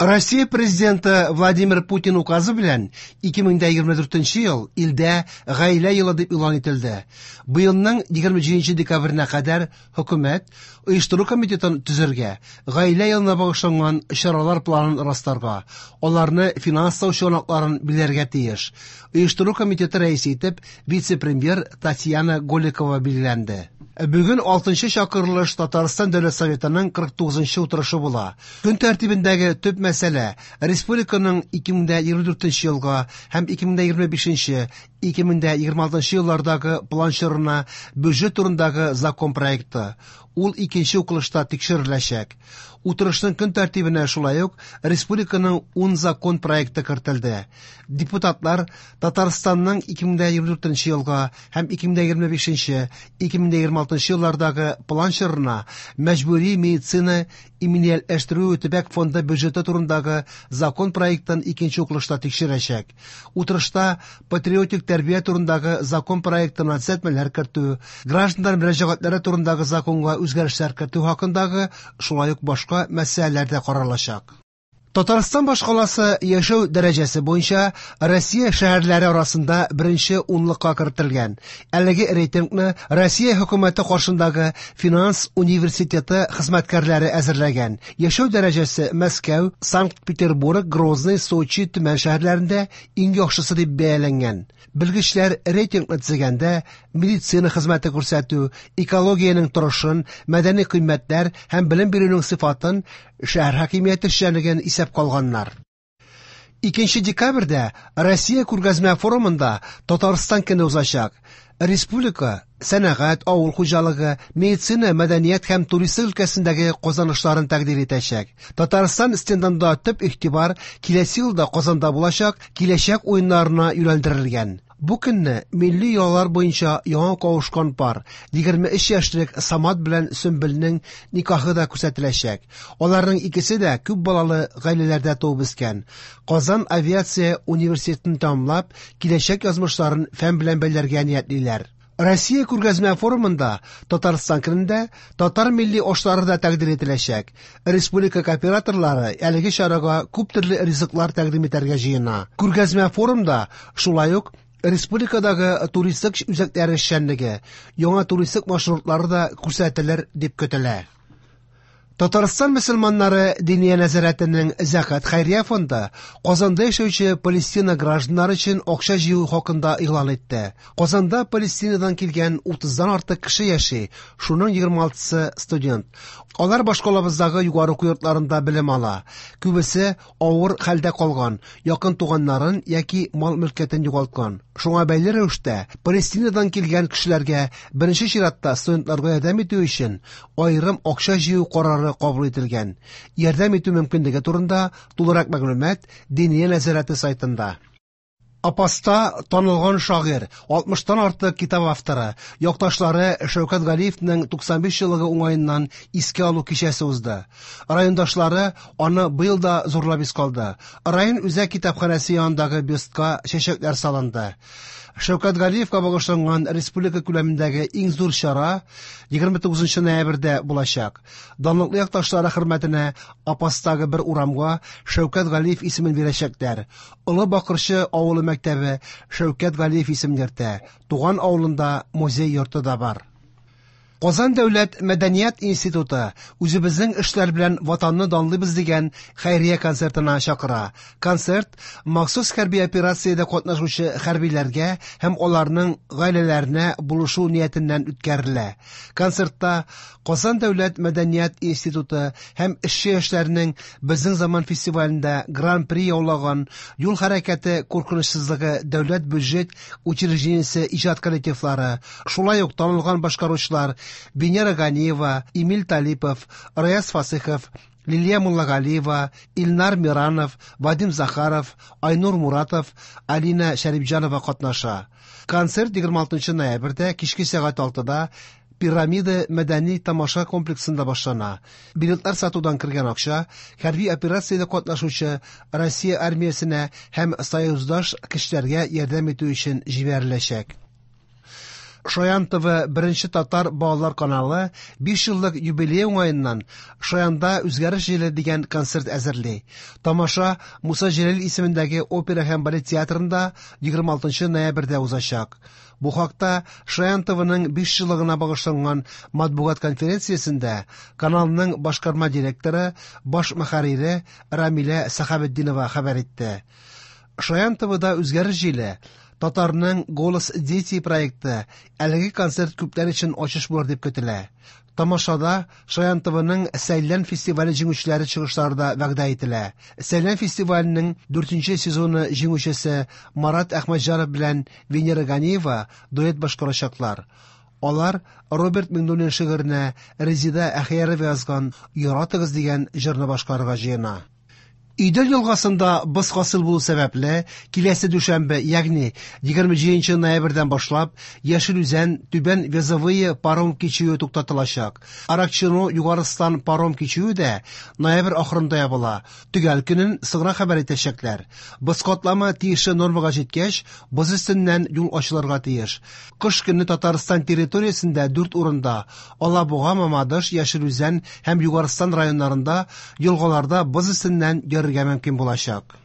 Россия Президенты Владимир Путин указы белән 2024 ел илдә Гаилә елы дип игълан ителде. Быелның 27 декабренә кадәр хөкүмәт оештыру комитетын төзергә, Гаилә елына багышланган чаралар планын расларга, аларны финанслау чыганакларын билгеләргә тиеш. Оештыру комитеты рәисе итеп вице-премьер Татьяна Голикова билгеләнде. Бүген 6 чакырылыш Татарстан Дәүләт Советының 49 утырышы була. Көн тәртибендәге төп мәсьәлә республиканың 2024 елга һәм 2025-2026 еллардагы план чорына бюджет турындагы закон проекты. Ул икенче укылышта тикшереләчәк. Утырышның көн тәртибенә шулай ук республиканың 10 закон проекты кертелде. Депутатлар Татарстанның 2024 елга һәм 2025-2026 еллардагы план чорына мәҗбүри медицина иминиятләштерү төбәк фонды бюджеты турындагы закон проектын икенче укылышта тикшерәчәк. Утырышта патриотик тәрбия турындагы закон проектына төзәтмәләр кертү, гражданнар мөрәҗәгатьләре турындагы законга үзгәрешләр кертү хакындагы шулай ук башка мәсьәләләр дә каралачак. Татарстан башкаласы яшәү дәрәҗәсе буенча Россия шәһәрләре арасында беренче унлыкка кертелгән. Әлеге рейтингны Россия хөкүмәте каршындагы финанс университеты хезмәткәрләре әзерләгән. Яшәү дәрәҗәсе Мәскәү, Санкт-Петербург, Грозный, Сочи, Төмән шәһәрләрендә иң яхшысы дип бәяләнгән. Белгечләр рейтингны төзегәндә медицина хезмәте күрсәтү, экологиянең торышын, мәдәни кыйммәтләр һәм белем бирүнең сыйфатын, шәһәр хакимияте эшчәнлеген исәпкә алганнар. 2 декабрьдә Россия күргәзмә форумында Татарстан көне узачак. Республика сәнәгать, авыл хуҗалыгы, медицина, мәдәният һәм туристлык өлкәсендәге казанышларын тәкъдир итәчәк. Татарстан стендында төп игътибар киләсе елда Казанда булачак Киләчәк уеннарына юнәлдерелгән. Бу көнне милли йолалар буенча яңа кавышкан пар, 23 яшьлек Самат белән Сөмбелнең никахы да күрсәтеләчәк. Аларның икесе дә күп балалы гаиләләрдә туып үскән. Казан авиация университетын тәмамлап, киләчәк язмышларын фән белән бәйләргә ниятлиләр. Россия күргәзмә форумында Татарстан көнендә татар милли ашлары да тәкъдир ителәчәк. Республика кооператорлары әлеге чарага күп төрле ризыклар тәкъдим итәргә җыена. Күргәзмә форумда шулай ук республикадагы туристик үзәкләр эшчәнлеге, яңа туристик маршрутлары да күрсәтелер дип көтелә. Татарстан мөселманнары Диния нәзарәтенең Зәкят хәйрия фонды Казанда яшәүче Палестина гражданнары өчен акча җыю хакында игълан итте. Казанда Палестинадан килгән 30-дан артык кеше яши, шуның 26-сы студент. Алар башкалабыздагы югары уку йортларында белем ала. Күбесе авыр хәлдә калган, якын туганнарын яки мал-мөлкәтен югалткан. Шуңа бәйле рәвештә Палестинадан килгән кешеләргә, беренче чиратта студентларга ярдәм итү өчен аерым акча җыю карары кабул ителгән. Ярдәм итү мөмкинлеге турында тулырак мәгълүмат Диния нәзарәте сайтында. Апаста танылган шагыйрь, 60-тан артык китап авторы, якташлары Шәүкәт Галиевның 95 еллыгы уңаеннан искә алу кичәсе узды. Райондашлары аны быел да зурлап искә алды. Район үзәк китапханәсе янындагы бюстка чәчәкләр салынды. Шәүкәт Галиевка багышланган республика күләмендәге иң зур чара 29 ноябрьдә булачак. Данлыклы якташлары хөрмәтенә Апастагы бер урамга Шәүкәт Галиев исемен бирәчәкләр. Олы Бакырчы авылы мәктәбе Шәүкәт Галиев исемен йөртә. Туган авылында музей йорты да бар. Казан дәүләт мәдәният институты үзебезнең эшләр белән Ватанны данлыйбыз дигән хәйрия концертына чакыра. Концерт махсус хәрби операциядә катнашучы хәрбиләргә һәм аларның гаиләләренә булышу ниятеннән үткәрелә. Концертта Казан дәүләт мәдәният институты һәм эшче яшьләрнең Безнең заман фестивалендә Гран-при яулаган Юл хәрәкәте куркынычсызлыгы дәүләт бюджет учреждениесе иҗат коллективлары, шулай ук танылган башкаручылар Венера Ганиева, Эмиль Талипов, Раяз Фасыхов, Лилия Муллагалиева, Илнар Миранов, Вадим Захаров, Айнур Муратов, Алина Шәрипҗанова катнаша. Концерт 26 ноябрьдә кичке сәгать 6-да Пирамида мәдәни тамаша комплексында башлана. Билетлар сатудан кергән акча хәрби операциядә катнашучы Россия армиясенә һәм союздаш көчләргә ярдәм итү өчен җибәреләчәк. Шаян ТВ беренче татар балалар каналы 5 еллык юбилей уңаеннан Шаянда үзгәреш җиле дигән концерт әзерли. Тамаша Муса Җәлил исемендәге опера һәм балет театрында 26 ноябрьдә узачак. Бу хакта Шаян ТВның 5 еллыгына багышланган матбугат конференциясендә каналның башкарма директоры, баш мөхәррире Рамилә Сәхабетдинова хәбәр итте. Шаян ТВда үзгәреш җиле Татарның Голос дети проекты әлеге концерт күпләр өчен ачыш булыр дип көтелә. Тамашада Шаян ТВның Сәйлән фестивале җиңүчеләре чыгышлары да вәгъдә ителә. Сәйлән фестиваленең 4 сезоны җиңүчесе Марат Әхмәтҗанов белән Венера Ганиева дуэт башкарачаклар. Алар Роберт Миңнуллин шигыренә Резида Әхиярова язган «Яратыгыз» дигән җырны башкарырга җыена. Идел елгасында боз хасил булу сәбәпле, киләсе дүшәмбе, ягъни 27 ноябрьдән башлап, Яшел Үзән, Түбән Вязовые паром кичүе туктатылачак. Аракчино Югарыстан паром кичүе дә ноябрь ахырында ябыла. Төгәл көнен соңрак хәбәр итәчәкләр. Боз катламы тиешле нормага җиткәч, боз өстеннән юл ачылырга тиеш. Кыш көне Татарстан территориясендә 4 урында Алабуга, Мамадыш, Яшел Үзән һәм Югарыстан районнарында елгаларда боз өстеннән йөрергә мөмкин булачак.